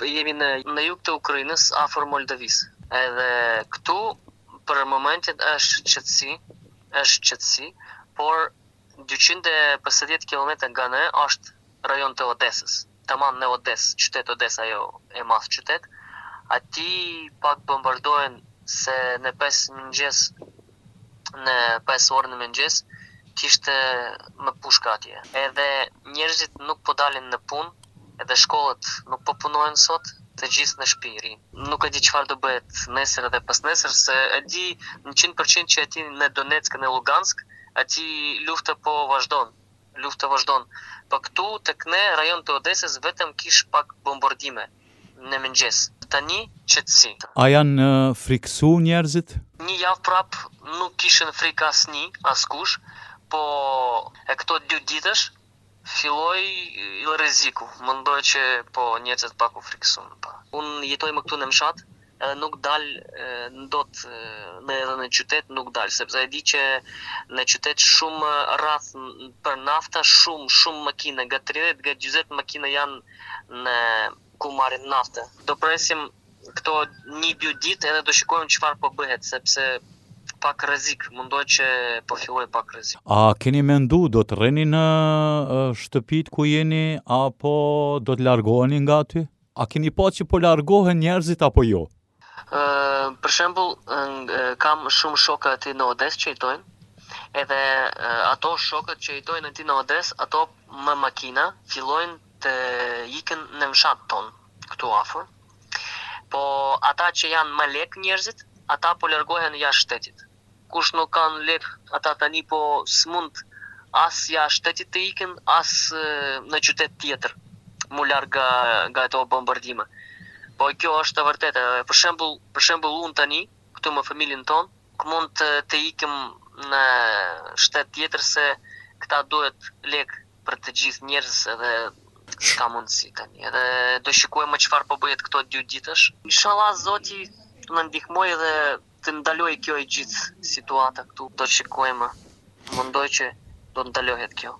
jemi në jug të Ukrainës, afër Moldavisë. Edhe këtu për momentin është qetësi, por 250 kilometra nga ne është rajon të Odesës. Tamam në Odesë, qytet Odesa ajo e madh qytet. Ati pak bombardohen se në 5 orë në mëngjes kishte më pushka atje. Edhe njerëzit nuk po dalin në punë, edhe shkollat nuk po punojnë sot, të gjithë në shtëpi rinë. Nuk e di çfarë do bëhet nesër edhe pas nesër, se e di në 100% që aty në Donetsk, në Lugansk, aty lufta po vazhdon. Po këtu tek ne rajon të Odesës vetëm kish pak bombardime në mëngjes. Tani qetësi. A janë friksu njerëzit? Një javë prap nuk kishin frikë askush, po e këto 2 ditësh filloi rreziku. Mendoj që po njerëzit pak u friksuan pa. Unë jetoj më këtu në fshat, edhe nuk dal në qytet nuk dal, sepse e di që në qytet shumë rrath për nafta, shumë makina, nga 30 nga 40 makina janë në ku marrin naftë. Do presim këto 1-2 ditë edhe do shikojmë çfarë po bëhet, sepse pak rrezik, mendoj që po filloj pak rrezik. A keni mendu do të rreni në shtëpit ku jeni apo do të largoheni nga aty? A keni pa që po largohen njerëzit apo jo? Për shembull, kam shumë shokë aty në Odesë që jetojnë, edhe ato shokët që jetojnë aty në Odesë, ato me makina fillojnë të ikën në fshat ton, këtu afër. Po ata që janë më lek njerëzit, ata po largohen jashtë shtetit. Kush nuk kanë lek, ata tani po s'mund as jashtë shtetit të ikën, as në qytet tjetër, mu larg nga ato bombardime. Po kjo është e vërtetë. Për shembull unë tani, këtu me familjen tonë, mund të ikim në shtet tjetër se këta duhet lek për të gjithë njerëz edhe s'ka mundësi tani. Edhe do shikojmë çfarë po bëhet këto 2 ditësh. Inshallah Zoti na ndihmoj dhe të ndaloj kjo e gjithë situata këtu. Do shikojmë. Mendoj që do ndalohet kjo.